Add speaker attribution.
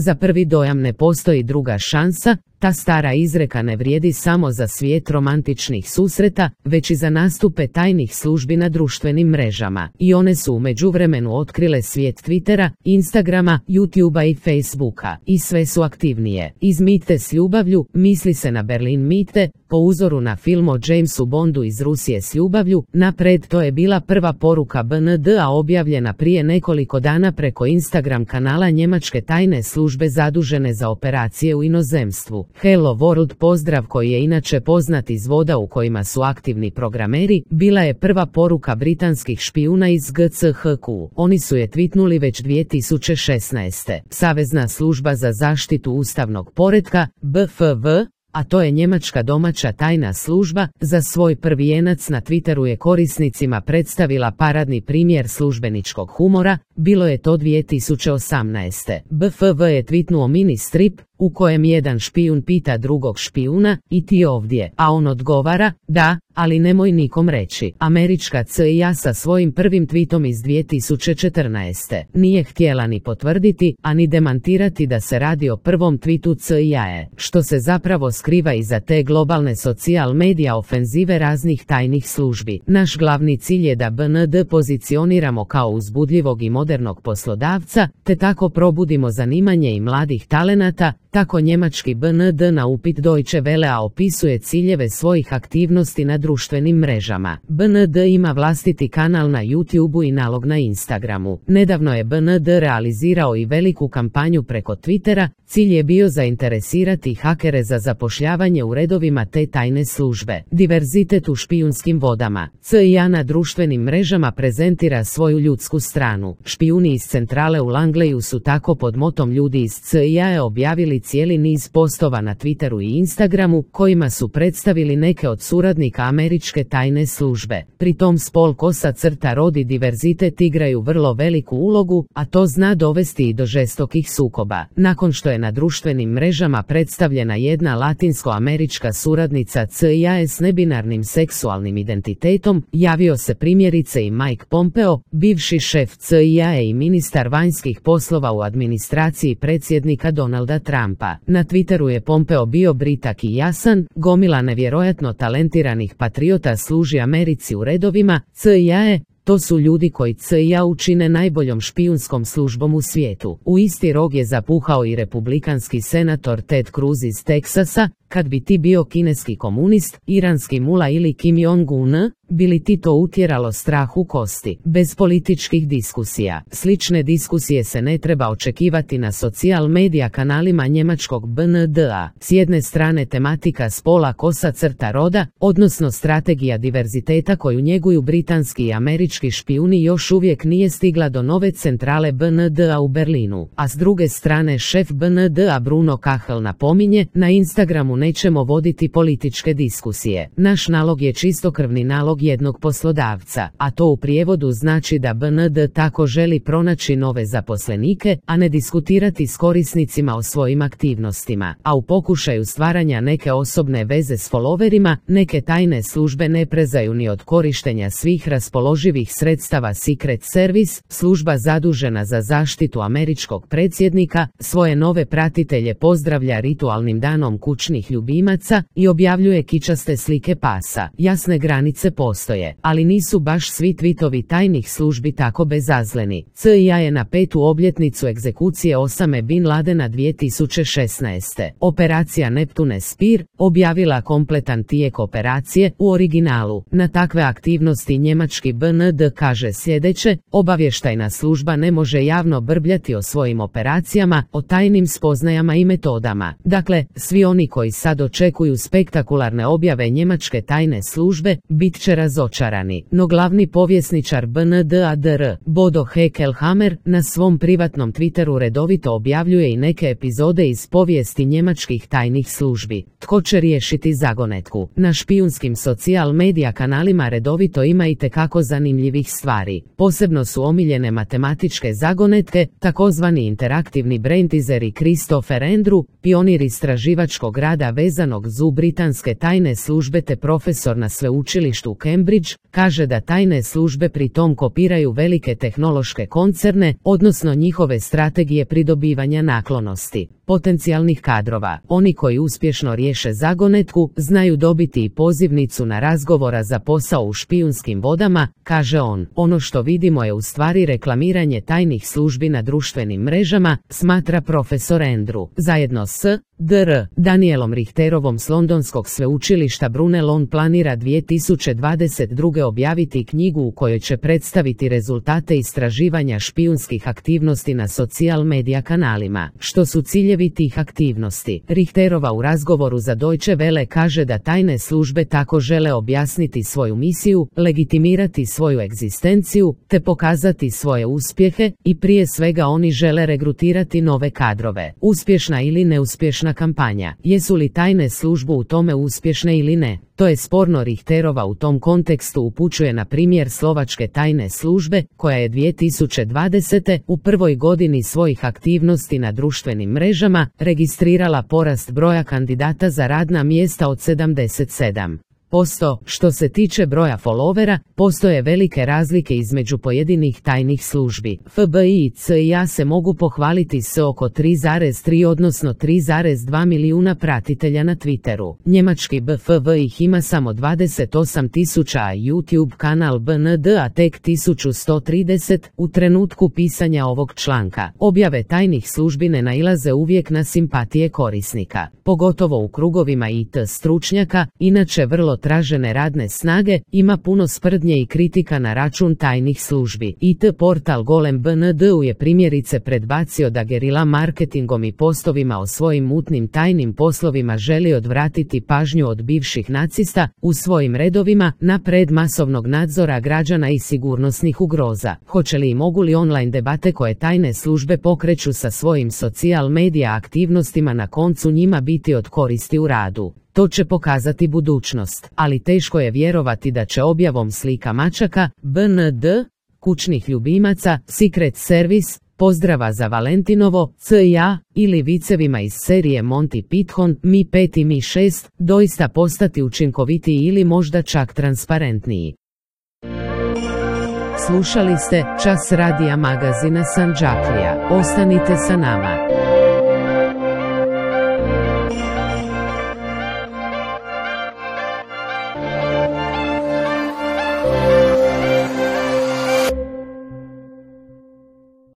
Speaker 1: za prvi dojam ne postoji druga šansa, ta stara izreka ne vrijedi samo za svijet romantičnih susreta, već i za nastupe tajnih službi na društvenim mrežama. I one su u međuvremenu otkrile svijet Twittera, Instagrama, YouTubea i Facebooka. I sve su aktivnije. Iz Mite s ljubavlju, misli se na Berlin Mite, po uzoru na film o Jamesu Bondu iz Rusije s ljubavlju, napred to je bila prva poruka BND-a objavljena prije nekoliko dana preko Instagram kanala njemačke tajne službe zadužene za operacije u inozemstvu. Hello World pozdrav, koji je inače poznat iz voda u kojima su aktivni programeri, bila je prva poruka britanskih špijuna iz GCHQ. Oni su je tweetnuli već 2016. Savezna služba za zaštitu ustavnog poretka, BFV, a to je njemačka domaća tajna služba, za svoj prvi jenac na Twitteru je korisnicima predstavila paradni primjer službeničkog humora, bilo je to 2018. BFV je tweetnuo mini strip, u kojem jedan špijun pita drugog špijuna, i ti ovdje, a on odgovara, da, ali nemoj nikom reći. Američka CIA sa svojim prvim tweetom iz 2014. nije htjela ni potvrditi, a ni demantirati da se radi o prvom tweetu CIA, što se zapravo skriva iza te globalne social media ofenzive raznih tajnih službi. Naš glavni cilj je da BND pozicioniramo kao uzbudljivog i modernog poslodavca, te tako probudimo zanimanje i mladih talenata, tako njemački BND na upit Deutsche Wellea opisuje ciljeve svojih aktivnosti na društvenim mrežama. BND ima vlastiti kanal na YouTubeu i nalog na Instagramu. Nedavno je BND realizirao i veliku kampanju preko Twittera, cilj je bio zainteresirati hakere za zapošljavanje u redovima te tajne službe. Diverzitet u špijunskim vodama. CIA na društvenim mrežama prezentira svoju ljudsku stranu. Špijuni iz centrale u Langleyu su tako pod motom ljudi iz CIA objavili cijeli niz postova na Twitteru i Instagramu, kojima su predstavili neke od suradnika američke tajne službe. Pri tom spol, kosa, crta, rod i diverzitet igraju vrlo veliku ulogu, a to zna dovesti i do žestokih sukoba. Nakon što je na društvenim mrežama predstavljena jedna latinsko-američka suradnica CIA s nebinarnim seksualnim identitetom, javio se primjerice i Mike Pompeo, bivši šef CIA i ministar vanjskih poslova u administraciji predsjednika Donalda Trumpa. Na Twitteru je Pompeo bio britak i jasan, gomila nevjerojatno talentiranih patriota služi Americi u redovima CIA. To su ljudi koji CIA učine najboljom špijunskom službom u svijetu. U isti rog je zapuhao i republikanski senator Ted Cruz iz Teksasa. Kad bi ti bio kineski komunist, iranski mula ili Kim Jong-un, bi li ti to utjeralo strah u kosti? Bez političkih diskusija. Slične diskusije se ne treba očekivati na social media kanalima njemačkog BND-a. S jedne strane tematika spola, kosa, crta, roda, odnosno strategija diverziteta koju njeguju britanski i američki špijuni još uvijek nije stigla do nove centrale BND-a u Berlinu. A s druge strane šef BND-a Bruno Kachl napominje, na Instagramu nećemo voditi političke diskusije. Naš nalog je čistokrvni nalog jednog poslodavca, a to u prijevodu znači da BND tako želi pronaći nove zaposlenike, a ne diskutirati s korisnicima o svojim aktivnostima. A u pokušaju stvaranja neke osobne veze s followerima, neke tajne službe ne prezaju ni od korištenja svih raspoloživih sredstava. Secret Service, služba zadužena za zaštitu američkog predsjednika, svoje nove pratitelje pozdravlja ritualnim danom kućnih ljubimaca i objavljuje kičaste slike pasa. Jasne granice postoje, ali nisu baš svi tweetovi tajnih službi tako bezazleni. CIA je na 5. obljetnicu egzekucije Osame Bin Ladena 2016. Operacija Neptune Spear objavila kompletan tijek operacije u originalu. Na takve aktivnosti njemački BND kaže sljedeće: obavještajna služba ne može javno brbljati o svojim operacijama, o tajnim spoznajama i metodama. Dakle, svi oni koji sad očekuju spektakularne objave njemačke tajne službe, bit će razočarani. No glavni povjesničar BND-a dr. Bodo Heckelhammer na svom privatnom Twitteru redovito objavljuje i neke epizode iz povijesti njemačkih tajnih službi. Tko će riješiti zagonetku? Na špijunskim social media kanalima redovito ima i tekako zanimljivih stvari. Posebno su omiljene matematičke zagonetke, takozvani interaktivni brain teaseri. Christopher Andrew, pionir istraživačkog rada vezanog za britanske tajne službe te profesor na sveučilištu Cambridge, kaže da tajne službe pri tom kopiraju velike tehnološke koncerne, odnosno njihove strategije pridobivanja naklonosti potencijalnih kadrova. Oni koji uspješno riješe zagonetku, znaju dobiti i pozivnicu na razgovora za posao u špijunskim vodama, kaže on. Ono što vidimo je u stvari reklamiranje tajnih službi na društvenim mrežama, smatra profesor Andrew. Zajedno s Dr. Danielom Richterovom s Londonskog sveučilišta Brunel on planira 2022. objaviti knjigu u kojoj će predstaviti rezultate istraživanja špijunskih aktivnosti na social media kanalima. Što su ciljevi tih aktivnosti? Richterova u razgovoru za Deutsche Welle kaže da tajne službe tako žele objasniti svoju misiju, legitimirati svoju egzistenciju, te pokazati svoje uspjehe i prije svega oni žele regrutirati nove kadrove. Uspješna ili neuspješna kampanja. Jesu li tajne službe u tome uspješne ili ne? To je sporno. Richterova u tom kontekstu upućuje na primjer slovačke tajne službe, koja je 2020. u prvoj godini svojih aktivnosti na društvenim mrežama registrirala porast broja kandidata za radna mjesta od 77%. Što se tiče broja followera, postoje velike razlike između pojedinih tajnih službi. FBI i CIA se mogu pohvaliti s oko 3,3 odnosno 3,2 milijuna pratitelja na Twitteru. Njemački BFV ih ima samo 28.000, a YouTube kanal BND a tek 1130. U trenutku pisanja ovog članka, objave tajnih službi ne nailaze uvijek na simpatije korisnika, pogotovo u krugovima IT stručnjaka, inače vrlo tražene radne snage. Ima puno sprdnje i kritika na račun tajnih službi. IT portal Golem BND-u je primjerice predbacio da gerila marketingom i postovima o svojim mutnim tajnim poslovima želi odvratiti pažnju od bivših nacista u svojim redovima na pred masovnog nadzora građana i sigurnosnih ugroza. Hoće li i mogu li online debate koje tajne službe pokreću sa svojim social media aktivnostima na koncu njima biti od koristi u radu? To će pokazati budućnost, ali teško je vjerovati da će objavom slika mačaka, BND, kućnih ljubimaca, Secret Service, pozdrava za Valentinovo, CIA ili vicevima iz serije Monty Python, Mi 5 i Mi 6, doista postati učinkovitiji ili možda čak transparentniji. Slušali ste Čas radija magazina Sandžaklija. Ostanite sa nama.